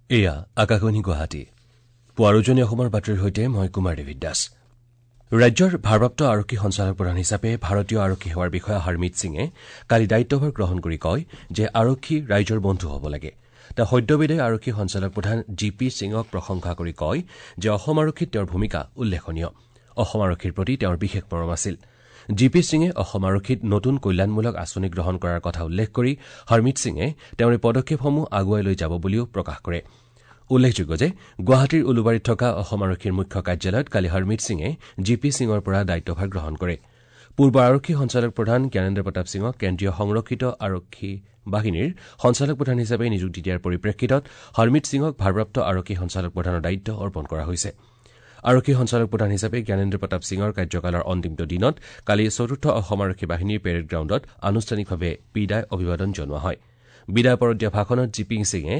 এয়া আকাশবাণী গুৱাহাটী। পুৱাৰ উজনি অসমৰ বাতৰিৰ সৈতে মই কুমাৰ দেৱী দাস। ৰাজ্যৰ ভাৰপ্ৰাপ্ত আৰক্ষী সঞ্চালক প্ৰধান হিচাপে ভাৰতীয় আৰক্ষী সেৱাৰ বিষয়া হৰমিত সিঙে কালি দায়িত্বভাৰ গ্ৰহণ কৰি কয় যে আৰক্ষী ৰাইজৰ বন্ধু হ'ব লাগে। তেওঁ সদ্যবিদায়ী আৰক্ষী সঞ্চালক প্ৰধান জি পি সিঙক প্ৰশংসা কৰি কয় যে অসম আৰক্ষীত তেওঁৰ ভূমিকা উল্লেখনীয়। অসম আৰক্ষীৰ প্ৰতি তেওঁৰ বিশেষ মৰম আছিল। জি পি সিঙে অসম আৰক্ষীত নতুন কল্যাণমূলক আঁচনি গ্ৰহণ কৰাৰ কথা উল্লেখ কৰি হৰমিত সিঙে তেওঁৰ এই পদক্ষেপসমূহ আগুৱাই লৈ যাব বুলিও প্ৰকাশ কৰে। উল্লেখযোগ্য যে গুৱাহাটীৰ উলুবাৰীত থকা অসম আৰক্ষীৰ মুখ্য কাৰ্যালয়ত কালি হৰমিত সিঙে জি পি সিঙৰ পৰা দায়িত্বভাৰ গ্ৰহণ কৰে। পূৰ্বৰ আৰক্ষী সঞ্চালক প্ৰধান জ্ঞানেন্দ্ৰ প্ৰতাপ সিঙক কেন্দ্ৰীয় সংৰক্ষিত আৰক্ষী বাহিনীৰ সঞ্চালক প্ৰধান হিচাপে নিযুক্তি দিয়াৰ পৰিপ্ৰেক্ষিতত হৰমিত সিঙক ভাৰপ্ৰাপ্ত আৰক্ষী সঞ্চালক প্ৰধানৰ দায়িত্ব অৰ্পণ কৰা হৈছে। আৰক্ষী সঞ্চালক প্ৰধান হিচাপে জ্ঞানেন্দ্ৰ প্ৰতাপ সিঙৰ কাৰ্যকালৰ অন্তিমটো দিনত কালি চতুৰ্থ অসম আৰক্ষী বাহিনীৰ পেৰেড গ্ৰাউণ্ডত আনুষ্ঠানিকভাৱে বিদায় অভিবাদন জনোৱা হয়। বিদায় পৰত দিয়া ভাষণত জি পি সিঙে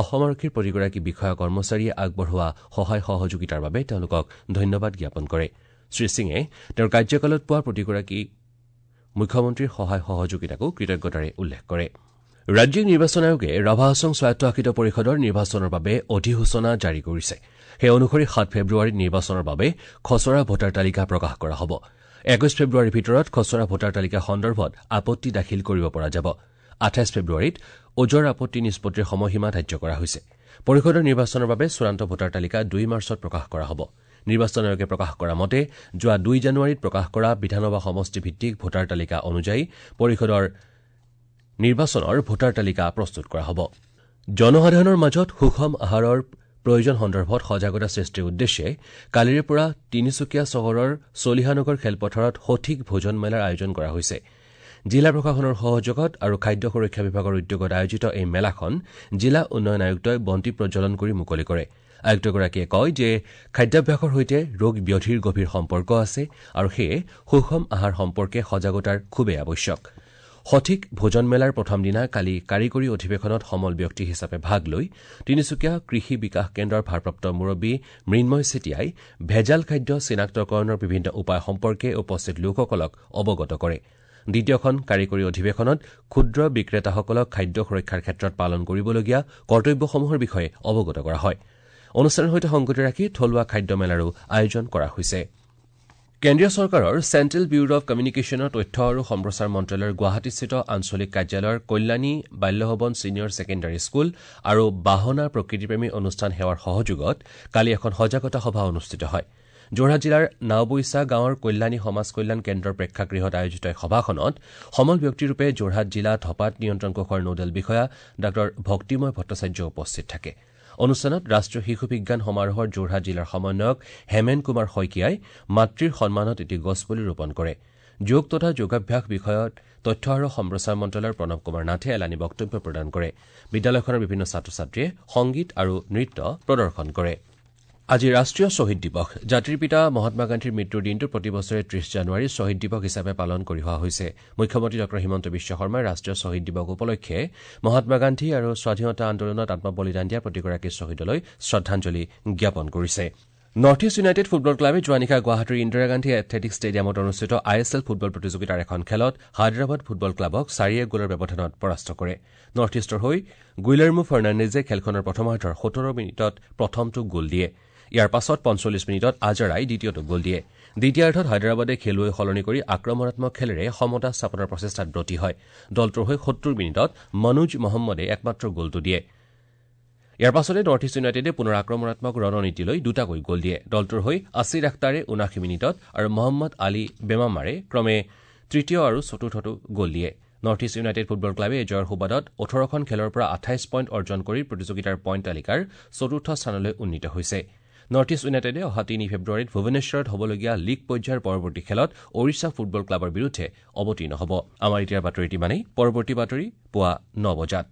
অসম আৰক্ষীৰ প্ৰতিগৰাকী বিষয়া কৰ্মচাৰীয়ে আগবঢ়োৱা সহায় সহযোগিতাৰ বাবে তেওঁলোকক ধন্যবাদ জ্ঞাপন কৰে। শ্ৰীসিঙে তেওঁৰ কাৰ্যকালত পোৱা প্ৰতিগৰাকী মুখ্যমন্ত্ৰীৰ সহায় সহযোগিতাকো কৃতজ্ঞতাৰে উল্লেখ কৰে। ৰাজ্যিক নিৰ্বাচন আয়োগে ৰাভা হাছং স্বায়ত্তশাসিত পৰিষদৰ নিৰ্বাচনৰ বাবে অধিসূচনা জাৰি কৰিছে। সেই অনুসৰি ৭ ফেব্ৰুৱাৰীত নিৰ্বাচনৰ বাবে খচৰা ভোটাৰ তালিকা প্ৰকাশ কৰা হ'ব। ২১ ফেব্ৰুৱাৰীৰ ভিতৰত খচৰা ভোটাৰ তালিকা সন্দৰ্ভত আপত্তি দাখিল কৰিব পৰা যাব। ২৮ ফেব্ৰুৱাৰীত ওজৰ আপত্তি নিষ্পত্তিৰ সময়সীমা ধাৰ্য কৰা হৈছে। পৰিষদৰ নিৰ্বাচনৰ বাবে চূড়ান্ত ভোটাৰ তালিকা ২ মাৰ্চত প্ৰকাশ কৰা হ'ব। নিৰ্বাচন আয়োগে প্ৰকাশ কৰা মতে যোৱা ২ জানুৱাৰীত প্ৰকাশ কৰা বিধানসভা সমষ্টিভিত্তিক ভোটাৰ তালিকা অনুযায়ী পৰিষদৰ নিৰ্বাচনৰ ভোটাৰ তালিকা প্ৰস্তুত কৰা হ'ব। জনসাধাৰণৰ মাজত সুষম আহাৰৰ প্ৰয়োজন সন্দৰ্ভত সজাগতা সৃষ্টিৰ উদ্দেশ্যে কালিৰে পৰা তিনিচুকীয়া চহৰৰ চলিহানগৰ খেলপথাৰত সঠিক ভোজন মেলাৰ আয়োজন কৰা হৈছে। জিলা প্ৰশাসনৰ সহযোগত আৰু খাদ্য সুৰক্ষা বিভাগৰ উদ্যোগত আয়োজিত এই মেলাখন জিলা উন্নয়ন আয়ুক্তই বন্তি প্ৰজ্বলন কৰি মুকলি কৰে। আয়ুক্তগৰাকীয়ে কয় যে খাদ্যাভ্যাসৰ সৈতে ৰোগ ব্যাধিৰ গভীৰ সম্পৰ্ক আছে আৰু সেয়ে সুষম আহাৰ সম্পৰ্কে সজাগতাৰ খুবেই আৱশ্যক। সঠিক ভোজন মেলাৰ প্ৰথম দিনা কালি কাৰিকৰী অধিৱেশনত সমল ব্যক্তি হিচাপে ভাগ লৈ তিনিচুকীয়া কৃষি বিকাশ কেন্দ্ৰৰ ভাৰপ্ৰাপ্ত মুৰব্বী মৃন্ময় চেতিয়াই ভেজাল খাদ্য চিনাক্তকৰণৰ বিভিন্ন উপায় সম্পৰ্কে উপস্থিত লোকসকলক অৱগত কৰে। দ্বিতীয়খন কাৰিকৰী অধিৱেশনত ক্ষুদ্ৰ বিক্ৰেতাসকলক খাদ্য সুৰক্ষাৰ ক্ষেত্ৰত পালন কৰিবলগীয়া কৰ্তব্যসমূহৰ বিষয়ে অৱগত কৰা হয়। অনুষ্ঠানৰ সৈতে সংগতি ৰাখি থলুৱা খাদ্য মেলাৰো আয়োজন কৰা হৈছে। কেন্দ্ৰীয় চৰকাৰৰ চেণ্ট্ৰেল ব্যুৰ অৱ কমিউনিকেশ্যনৰ তথ্য আৰু সম্প্ৰচাৰ মন্ত্ৰালয়ৰ গুৱাহাটীস্থিত আঞ্চলিক কাৰ্যালয়ৰ কল্যাণী বাল্যভৱন ছিনিয়ৰ ছেকেণ্ডাৰী স্কুল আৰু বাহনা প্ৰকৃতিপ্ৰেমী অনুষ্ঠান সেৱাৰ সহযোগত কালি এখন সজাগতা সভা অনুষ্ঠিত হয়। যোৰহাট জিলাৰ নাওবৈচা গাঁৱৰ কল্যাণী সমাজ কল্যাণ কেন্দ্ৰৰ প্ৰেক্ষাগৃহত আয়োজিত এই সভাখনত সমল ব্যক্তিৰূপে যোৰহাট জিলা ধঁপাত নিয়ন্ত্ৰণ কোষৰ নোডেল বিষয়া ডাঃ ভক্তিময় ভট্টাচাৰ্য উপস্থিত থাকে। অনুষ্ঠানত ৰাষ্ট্ৰীয় শিশু বিজ্ঞান সমাৰোহৰ যোৰহাট জিলাৰ সমন্বয়ক হেমেন কুমাৰ শইকীয়াই মাতৃৰ সন্মানত এটি গছপুলি ৰোপণ কৰে। যোগ তথা যোগাভ্যাস বিষয়ত তথ্য আৰু সম্প্ৰচাৰ মন্ত্ৰালয়ৰ প্ৰণৱ কুমাৰ নাথে এলানি বক্তব্য প্ৰদান কৰে। বিদ্যালয়খনৰ বিভিন্ন ছাত্ৰ ছাত্ৰীয়ে সংগীত আৰু নৃত্য প্ৰদৰ্শন কৰে। আজি ৰাষ্ট্ৰীয় শ্বহীদ দিৱস। জাতিৰ পিতা মহাত্মা গান্ধীৰ মৃত্যুৰ দিনটো প্ৰতি বছৰে ৩০ জানুৱাৰী শ্বহীদ দিৱস হিচাপে পালন কৰি অহা হৈছে। মুখ্যমন্ত্ৰী ডাঃ হিমন্ত বিশ্ব শৰ্মাই ৰাষ্ট্ৰীয় শ্বহীদ দিৱস উপলক্ষে মহাত্মা গান্ধী আৰু স্বাধীনতা আন্দোলনত আত্মবলিদান দিয়া প্ৰতিগৰাকী শ্বহীদলৈ শ্ৰদ্ধাঞ্জলি জ্ঞাপন কৰিছে। নৰ্থ ইষ্ট ইউনাইটেড ফুটবল ক্লাবে যোৱা নিশা গুৱাহাটীৰ ইন্দিৰা গান্ধী এথলেটিক ষ্টেডিয়ামত অনুষ্ঠিত I S L football প্ৰতিযোগিতাৰ এখন খেলত হায়দৰাবাদ ফুটবল ক্লাবক ৪-১ গ'লৰ ব্যৱধানত পৰাস্ত কৰে। নৰ্থ ইষ্টৰ হৈ গুইলাৰ্মো ফাৰ্ণাণ্ডেজে খেলখনৰ প্ৰথমাৰ্ধৰ ১৭ মিনিটত প্ৰথমটো গ'ল দিয়ে। ইয়াৰ পাছত ৪৫ মিনিটত আজাৰাই দ্বিতীয়টো গ'ল দিয়ে। দ্বিতীয়াৰ্ধত হায়দৰাবাদে খেলুৱৈ সলনি কৰি আক্ৰমণাত্মক খেলেৰে সমতা স্থাপনৰ প্ৰচেষ্টাত ব্ৰতী হয়। দলটোৰ হৈ ৭০ মিনিটত মনোজ মহম্মদে একমাত্ৰ গ'লটো দিয়ে। ইয়াৰ পাছতে নৰ্থ ইষ্ট ইউনাইটেডে পুনৰ আক্ৰমণাত্মক ৰণনীতি লৈ দুটাকৈ গ'ল দিয়ে। দলটোৰ হৈ আছিৰ আখতাৰে ৭৯ মিনিটত আৰু মহম্মদ আলী বেমামাৰে ক্ৰমে তৃতীয় আৰু চতুৰ্থটো গ'ল দিয়ে। নৰ্থ ইষ্ট ইউনাইটেড ফুটবল ক্লাবে এই জয়ৰ সুবাদত ১৮খন খেলৰ পৰা ২৮ পইণ্ট অৰ্জন কৰি প্ৰতিযোগিতাৰ পইণ্ট তালিকাৰ চতুৰ্থ স্থানলৈ উন্নীত হৈছে। নৰ্থ ইষ্ট ইউনাইটেডে অহা ৩ ফেব্ৰুৱাৰীত ভুৱনেশ্বৰত হ'বলগীয়া লীগ পৰ্যায়ৰ পৰৱৰ্তী খেলত ওড়িশা ফুটবল ক্লাবৰ বিৰুদ্ধে অৱতীৰ্ণ হ'ব। আমাৰ এতিয়াৰ বাতৰিটি ইমানেই। পৰৱৰ্তী বাতৰি পুৱা ৯ বজাত।